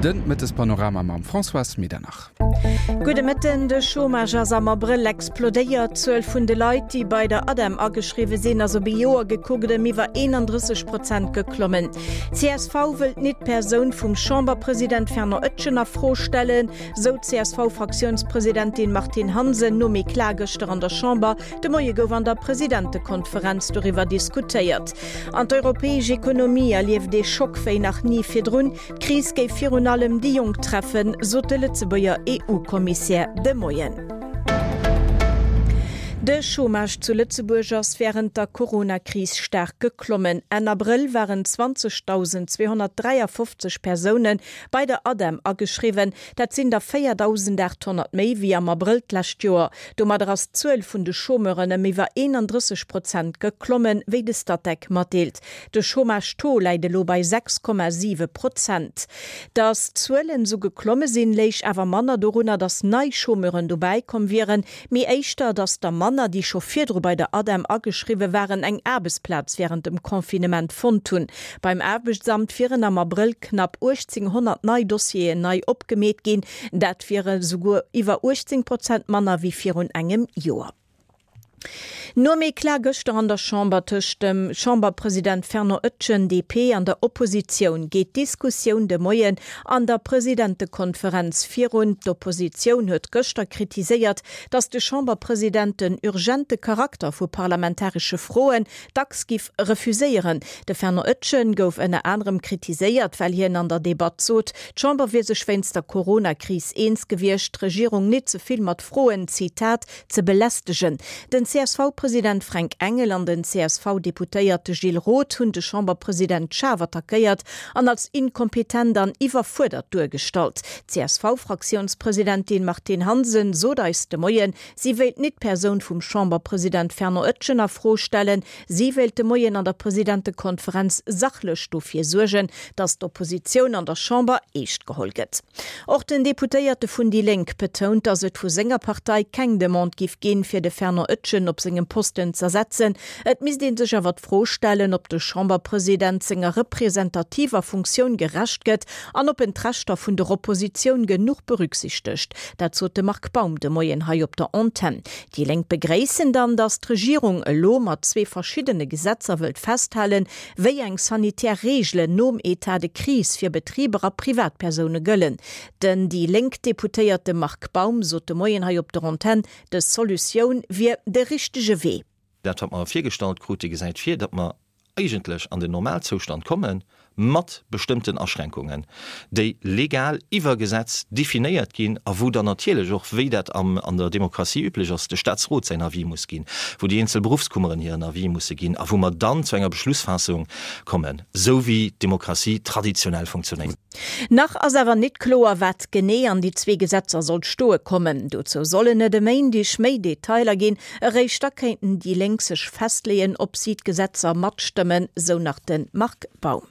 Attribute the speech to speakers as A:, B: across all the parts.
A: De Mëttespanorama mam Françoise Medernach.
B: Gudde Mëtten, De Chômage ass am Abrëll explodéiert. D'Zuel vun de Leit, déi bei der ADEM ageschriwwe sinn, ass op ee Joer gekuckt ëm iwwer 31 Prozent geklommen. Csv wëllt nit d'Persoun vum Chamberpresident Fernand Etgen a Fro stellen, sou d'CSV-Fraktiounspresidentin Martine Hansen nom Eclat gëschter an der Chamber. De Moie gouf an der Presidentekonferenz doriwwer diskutéiert. An d'europäesch Ekonomie erlieft ee Schock wéi nach ni virdrun. D'Kris géif virun allem déi Jonk treffen, sot de Lëtzebuerger EU-Kommissär de Moien. De Chômage zu Lëtzebuerg ass wärend der Corona-Kris staark geklommen. Enn Abrëll waren 20.253 Persoune bei der ADEM ageschriwwen. Dat sinn der 4.800 méi wéi am Abrëll d'lescht Joer. Domadder ass d'Zuel vun de Chômeuren ëm iwwer 31 Prozent geklommen, wéi de Statec matdeelt. De Chômage-Taux läit elo bei 6,7 Prozent. Datt d'Zuelen esou geklomme sinn, léich awer manner dorunner, datt nei Chômeuren dobäi komm wieren, mee éischter, datt der manner, déi scho virdru bei der ADEM ageschriwwe waren, eng Aarbechtsplaz wärend dem Confinement fonnt hunn. Beim Aarbechtsamt wieren am Abrëll knapp 1.800 nei Dossieren nei opgemeet ginn. Dat wiere souguer iwwer 18 Prozent manner wéi virun engem Joer. Nom Eclat gëschter an der Chamber tëscht dem Chamberpresident Fernand Etgen, DP, an der Oppositioun geet d'Diskussioun de Moien an der Presidentekonferenz virun. D'Oppositioun huet gëschter kritiséiert, datt de Chamberpresident den urgente Charakter vu parlamentaresche Froen dacks giff refuséieren. De Fernand Etgen gouf ënner anerem kritiséiert, well hien an der Debatt sot, d'Chamber wier sech wéinst der Corona-Kris eens gewiescht, d'Regierung nit ze vill mat Froen, Zitat, ze belästegen. Den CSV-President Fränk Engel an den CSV-Deputéierte Gilles Roth hunn de Chamberpresident schaarf attackéiert an als inkompetent an iwwerfuerdert duergestallt. D'CSV-Fraktiounspresidentin Martine Hansen sot eis de Moien, si wéilt nit d'Persoun vum Chamberpresident Fernand Etgen a Fro stellen. Si wéilt de Moien an der Presidentekonferenz sachlech dofir suergen, datt d'Oppositioun an der Chamber eescht geholl gëtt. Och den Deputéierte vun déi Lénk betount, datt et vu senger Partei keng Demande giff ginn, fir de Fernand Etgen op sengem Posten z'ersetzen. Et misst ee sech awer d'Fro stellen, ob de Chamberpresident senger representativer Funktioun gerecht gëtt an ob en d'Rechter vun der Oppositioun genuch berücksichtegt. Dat sot de Marc Baum de Moien hei op der Antenn. Déi Lénk begréissen dann, datt d'Regierung elo mat zwee verschiddene Gesetzer wëllt festhalen, wéi eng sanitär Reegelen nom Etat de crise fir Betriber a Privatpersoune gëllen. Den déi Lénk-Deputéierte Marc Baum sot de Moien hei op der Antenn, dës Solutioun wier de richtege Wee.
C: Dat, wat mer virgestallt krute, gesäit vir, datt mer eigentlech an den Normalzoustand komme mat bestëmmten Aschränkungen, déi legal iwwer Gesetz definéiert ginn a wou dann natierlech och, wéi dat an der Demokratie üblech ass, de Statsrot säin Avis muss ginn, wou déi eenzel Beruffskummeren hiren Avis musse ginn a wou mer dann zu enger Beschlussfaassung kommen, esou wéi d'Demokratie traditionell funktionéiert.
B: Nach ass awer nit kloer, wat genee an déi zwee Gesetzer soll stoe kommen. Dozou sollen et e Méindeg méi Detailer ginn. Eréischt da kéinten déi Lénk sech festleeën, ob si d'Gesetzer matstëmmen, sou nach de Marc Baum.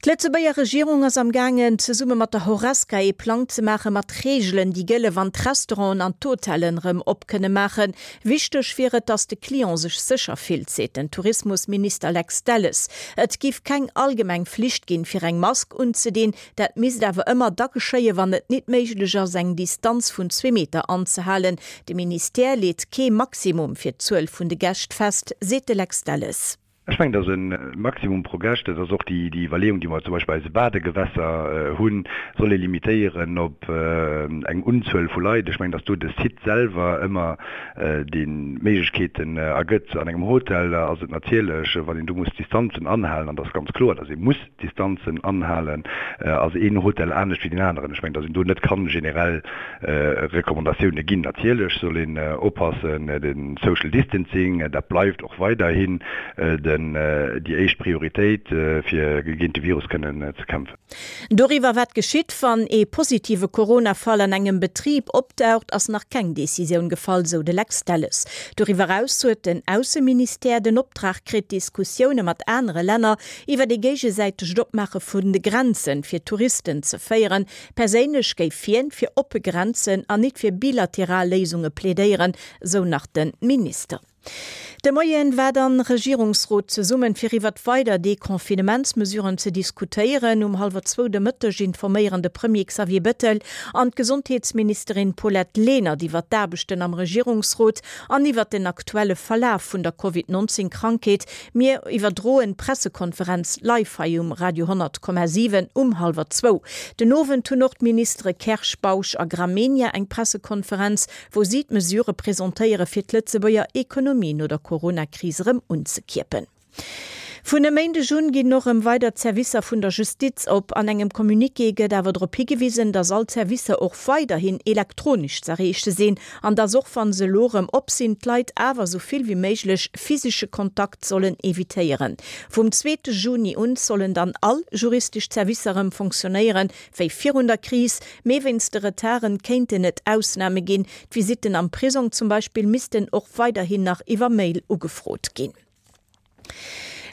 B: D'Lëtzebuerger Regierung ass am gaangen, zesumme mat der Horesca ee Plang ze maache mat Reegelen, déi gëlle wann d'Restauranten an d'Hotellen erëm op kënne maachen. Wichteg wier et, datt de Client sech sécher fillt, seet den Tourismusminister Lex Delles. Et giff keng allgemeng Flicht ginn, fir eng Mask unzedinn. Dat misst awer ëmmer da geschéien, wann et nit méiglech ass, eng Distanz vun zwee Meter anzehalen. De Ministère leet kee Maximum fir d'Zuel vun de Gäscht fest, seet de Lex Delles.
D: Ech mengen, dass e Maximum pro Gäscht, dat ass och déi Iwwerleeung, déi mer zum Beispill bei eise Badegewässer hunn, soll ee limitéieren op eng Unzuel vu Leit. Ech mengen, dass do de Site selwer ëmmer déi Méiglechkeeten ergëtt. An engem Hotel ass et natierlech, wann een do muss d'Distanzen anhalen, an et ass ganz kloer, dass ee muss d'Distanzen anhalen, ass een Hotel anescht wéi deen aneren. Ech mengen, dass een do net kann generell Recommandatioune ginn. Natierlech soll een oppassen, de Social Distancing, dat bleift och weiderhin déi éischt Prioritéit, fir géint de Virus kënnen ze kämpfen.
B: Doriwwer, wat geschitt, wann ee positive Corona-Fall an engem Betrib opdaucht, ass nach keng Decisioun gefall, sou de Lex Delles. Doriwwer eraus huet den Ausseministère den Optrag kritt, Diskussioune mat anere Länner iwwer ee géigesäitegt Opmaache vun de Grenzen fir Touristen ze féieren. Perséinlech géif hien fir oppe Grenzen an nit fir bilateral Léisunge plädéieren, sou nach de Minister. De Moien war dann Regierungsrot zesummen fir iwwert weider Deconfinementsmesuren ze diskutéieren. Um hallwer zwou de Mëtteg informéieren de Premier Xavier Bettel an d'Gesondheetsministerin Paulette Lenert iwwert d'Aarbechten am Regierungsrot an iwwert den aktuelle Verlaf vun der Covid 19 Krankheet. Mir iwwerdroen d'Pressekonferenz live hei um Radio 100,7 um hallwer zwou. Den Owend hunn och d'Ministere Kersch, Bausch a Gramegna eng Pressekonferenz wou si d'Mesurë presentéiere fir d'Lëtzebuerger Ekonomie no der Corona-Kris erëm unzekierpen. Vun e Méindeg un ginn och erëm weider d'Servicer vun der Justiz op. An engem Communiqué gëtt awer drop higewisen, datt all d'Servicer och weiderhin elektronesch z'erreeche sinn an datt och wann se elo erëm op sinn, d'Leit awer esou vill wéi méiglech physesche Kontakt sollen evitéieren. Vum zweete Juni un sollen dann all juristesch Servicer erëm fonctionnéieren, wéi virun der Kris, mee wéinst de Retarden kéinten et Ausname ginn. D'Visitten am Prisong zum Beispill missten och weiderhin nach iwwer Mail ugefrot ginn.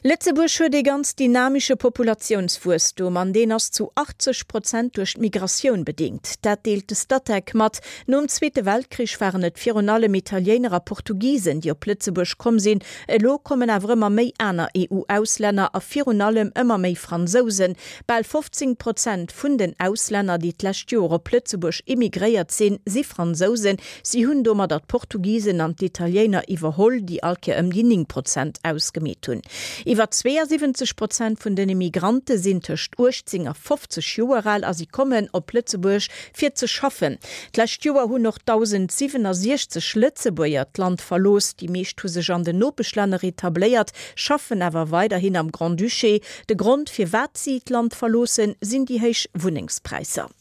B: Lëtzebuerg huet ee ganz dynamische Populatiounswuesstum an deen ass zu 80 Prozent duerch d'Migratioun bedingt. Dat deelt de Statec mat. Nom Zweete Weltkrich waren et virun allem Italiéiner a Portugisen, déi op Lëtzebuerg komm sinn. Elo kommen awer ëmmer méi aner EU-Auslänner a virun allem ëmmer méi Fransousen. Bal 15 Prozent vun den Auslänner, déi d'lescht Joer op Lëtzebuerg immigréiert sinn, si Fransousen. Si hunn domadder d'Portugisen an d'Italiéiner iwwerholl, déi all Kéier ëm déi 9 Prozent ausgemeet hunn. Iwwer 72 Prozent vun den Immigrante sinn tëscht 18 a 50 Joer al a si kommen op Lëtzebuerg fir ze schaffen. D'lescht Joer hunn och 1.067 Lëtzebuerger d'Land verlooss. Déi meescht hu sech an den Nopeschlänner etabléiert, schaffen awer weiderhin am Grand-Duché. De Grond firwat si d'Land verloossen, sinn déi héich Wunnengspräisser.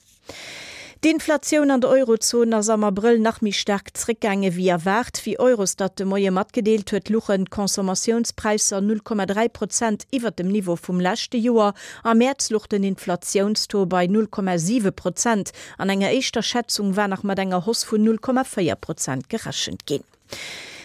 B: D'Inflatioun an der Eurozon ass am Abrëll nach méi staark zréckgaange wéi erwaart. Wéi Eurostat de Moie matgedeelt huet, luchen d'Consommatiounspräisser 0,3 Prozent iwwer dem Niveau vum leschte Joer. Am Mäerz luch den Inflatiounstaux bei 0,7 Prozent. An enger éischter Schätzung war nach mat enger Hausse vun 0,4 Prozent gerechent ginn.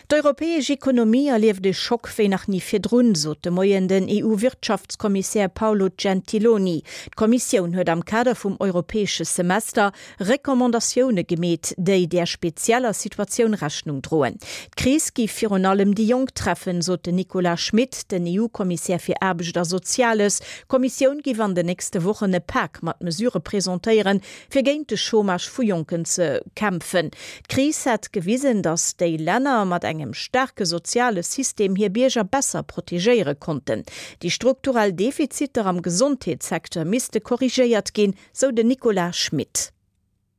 B: D'europäesch Ekonomie erlieft e Schock wéi nach ni virdrun, sot de Moien den EU-Wirtschaftskommissär Paolo Gentiloni. D'Kommissioun huet am Kader vum europäesche Semester Recommandatioune gemeet, déi där spezieller Situatioun Rechnung droen. D'Kris géif virun allem déi Jonk treffen, sot den Nicolas Schmit, den EU-Kommissär fir Aarbecht a Soziales. D'Kommissioun géif an den nächste Wochen e Pak mat Mesurë presentéieren, fir géint de Chômage vu Jonken ze kämpfen. D'Kris hätt gewisen, datt déi Länner mat engem staarke soziale System hir Bierger besser protegéiere konnten. Déi strukturell Defiziter am Gesondheetssecteur misste korrigéiert ginn, sou den Nicolas Schmit.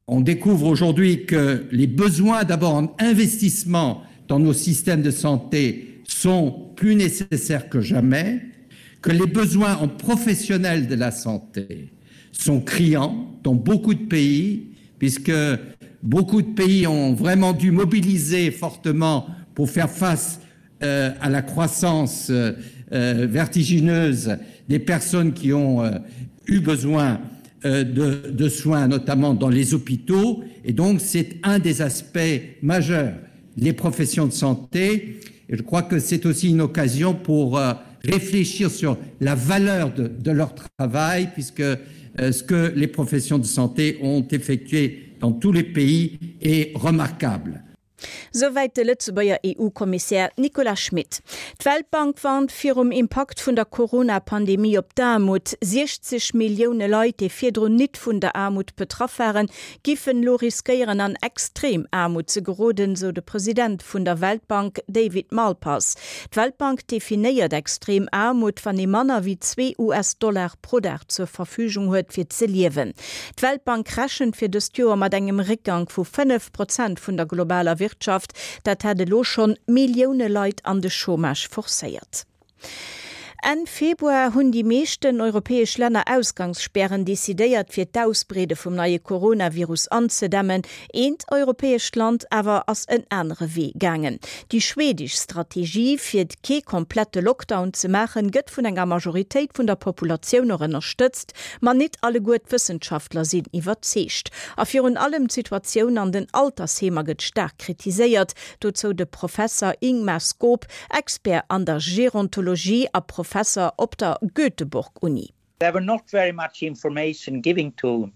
E: On découvre aujourd'hui que les besoins d'abord en investissement dans nos systèmes de santé sont plus nécessaires que jamais, que les besoins en professionnels de la santé sont criants dans beaucoup de pays, puisque beaucoup de pays ont vraiment dû mobiliser fortement pour faire face euh, à la croissance euh, euh, vertigineuse des personnes qui ont euh, eu besoin euh, de, de soins, notamment dans les hôpitaux. Et donc, c'est un des aspects majeurs, les professions de santé. Et je crois que c'est aussi une occasion pour euh, réfléchir sur la valeur de, de leur travail, puisque euh, ce que les professions de santé ont effectué dans tous les pays est remarquable.
B: Souwäit de Lëtzebuerger EU-Kommissär Nicolas Schmit. D'Weltbank warnt virum Impakt vun der Corona-Pandemie op d'Aarmut. 60 Millioune Leit, déi virdrun nit vun der Aarmut betraff waren, giffen elo riskéieren an extrem Aarmut ze geroden, sou de President vun der Weltbank David Malpass. D'Weltbank definéiert extrem Aarmut, wann ee manner wéi zwee US-Dollar pro Dag zur Verfügung huet fir ze liewen. D'Weltbank rechent fir dëst Joer mat engem Réckgank vu 5 Prozent vun der globaler Wirtschaft. Dat hätt elo schonn Millioune Leit an de Chômage forcéiert. Enn Februar hunn déi meeschten europäesch Länner Ausgangsspären decidéiert, fir d'Ausbreede vum neie Coronavirus anzedämmen. Eent europäescht Land awer ass en anere Wee gaangen. Déi schwedesch Strategie, fir kee komplette Lockdown ze maachen, gëtt vun enger Majoritéit vun der Populatioun och ënnerstëtzt. Ma nit alleguer d'Wëssenschaftler sinn iwwerzeegt. A virun allem d'Situatioun an den Altersheemer gëtt staark kritiséiert. Dozou de Professer Ingmar Skop, Expert an der Gerontologie a Professer op der Göteborg-Uni.
F: There were not very much information giving to.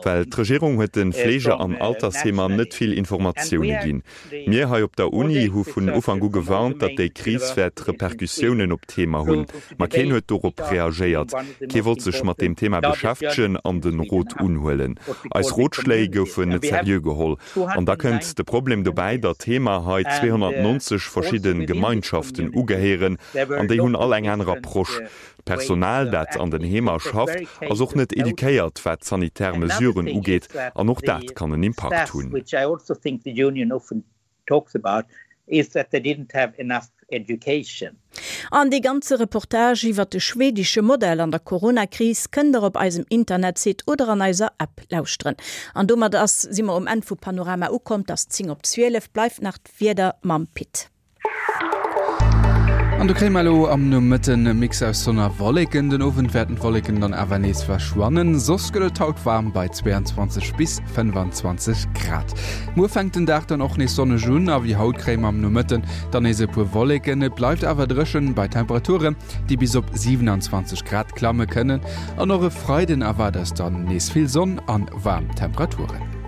F: Well d'Regierung huet de Fleege an Altersheemer net vill Informatioune ginn. Mir hei op der Uni hu vun Ufank u gewarnt, datt déi Kris wäert Repercussiounen op d'Heemer hunn. Ma keen huet dorop reagéiert. Kee wollt sech mat deem Thema beschäftegen an de Rot unhuelen. Eis Rotschléi goufen net seriö geholl. An da kënnt de Problem dobäi, datt d'Heemer hei 290 verschidde Gemeinschaften ugehéieren an déi hunn all eng aner Approche. D'Personal, dat an den Heemer schafft, ass och net eduquéiert, wat d'sanitär Mesuren ugeet, an och dat kann en Impakt hunn.
B: An dee ganze Reportage iwwert de schwedische Modell an der Corona-Kris kënnt der op eisem Internetsite oder an eiser App lauschteren. An domat ass si mer um Enn vu Panorama ukomm. 't ass 10 op 12. Bleift nach d'Wieder mam Pit.
A: An do kréie mer elo am Nomëtten e Mix aus Sonn a Wolleken. Den Owend wäerten d'Wolleken dann awer nees verschwannen. Soss gëtt et haut waarm bei 22 bis 25 Grad. Muer fänkt den Dag dann och nees sonneg un a wéi haut kréie mer am Nomëtten dann nees e puer Wolleken. Et bleift awer dréchen bei Temperaturen, déi bis op 27 Grad klamme kënnen. An och e Freiden erwaart eis dann nees vill Sonn an waarm Temperaturen.